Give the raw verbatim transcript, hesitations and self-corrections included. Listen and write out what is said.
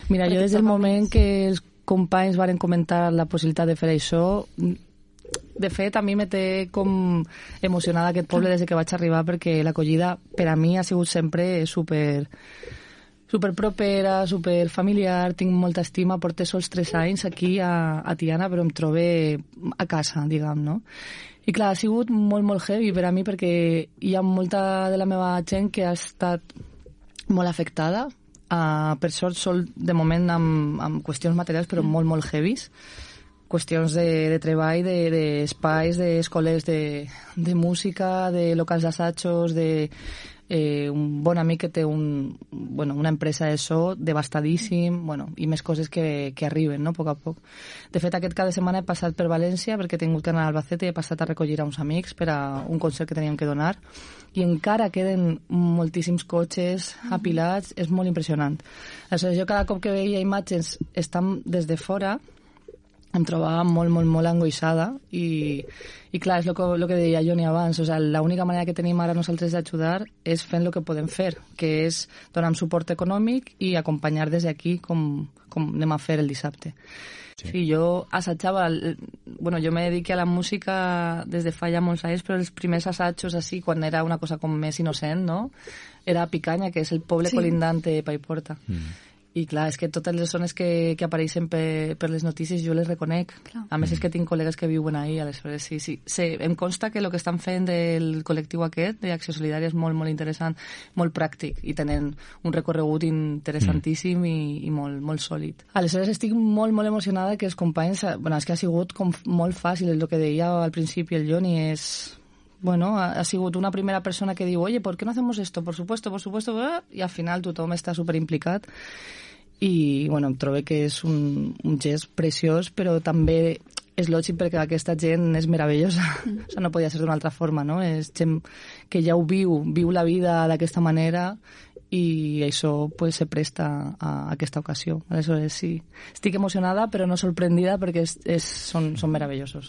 Mira, jo des del moment que els companys varen comentar la possibilitat de fer això, de fet, a mi me té com emocionada aquest poble des que vaig arribar, perquè l'acollida per a mi ha sigut sempre super, super propera, super familiar, tinc molta estima, porto sols tres anys aquí a, a Tiana, però em trobo a casa, diguem, no? I clar, ha sigut molt, molt heavy per a mi, perquè hi ha molta de la meva gent que ha estat molt afectada, uh, per sort sol de moment amb, amb qüestions materials, però molt, molt heavies, qüestions de, de treball, d'espais, de, d'escoles de, de música, de locals d'assajos, de eh, un bon amic que té un, bueno, una empresa de so devastadíssim, bueno, i més coses que, que arriben, no?, a poc a poc. De fet, aquest cap de setmana he passat per València perquè he tingut que anar a Albacete i he passat a recollir a uns amics per a un concert que teníem que donar i encara queden moltíssims cotxes apilats, és molt impressionant. Aleshores, jo cada cop que veia imatges estan des de fora em trobava molt, molt, molt angoixada i, i clar, és el que, lo que deia Joni abans, o sea, l'única manera que tenim ara nosaltres d'ajudar és fent el que podem fer, que és donar suport econòmic i acompanyar des d'aquí com, com anem a fer el dissabte. Sí. Sí, jo assajava, bueno, jo me dediqué a la música des de fa ja molts anys, però els primers assajos així, quan era una cosa com més innocent, no?, era a Picanya, que és el poble sí. colindant de Paiporta. Mm. I clar, és que totes les zones que, que apareixen per, per les notícies jo les reconec. Clar. A més és que tinc col·legues que viuen ahí, aleshores sí, sí. sí. Em consta que el que estan fent del col·lectiu aquest, d'Acció Solidària, és molt, molt interessant, molt pràctic, i tenen un recorregut interessantíssim mm. i, i molt, molt sòlid. Aleshores estic molt, molt emocionada que els companys... Bueno, és que ha sigut com molt fàcil, el que deia al principi el Joni, és... Bueno, ha, ha sigut una primera persona que diu, oye, ¿por qué no hacemos esto? Por supuesto, por supuesto, i al final tothom està superimplicat. I, bueno, em trobo que és un, un gest preciós, però també és lògic perquè aquesta gent és meravellosa. Mm. O sigui, no podia ser d'una altra forma, no? És gent que ja ho viu, viu la vida d'aquesta manera i això pues, se presta a aquesta ocasió. Aleshores, sí, estic emocionada, però no sorprendida perquè és, és, són, són meravellosos.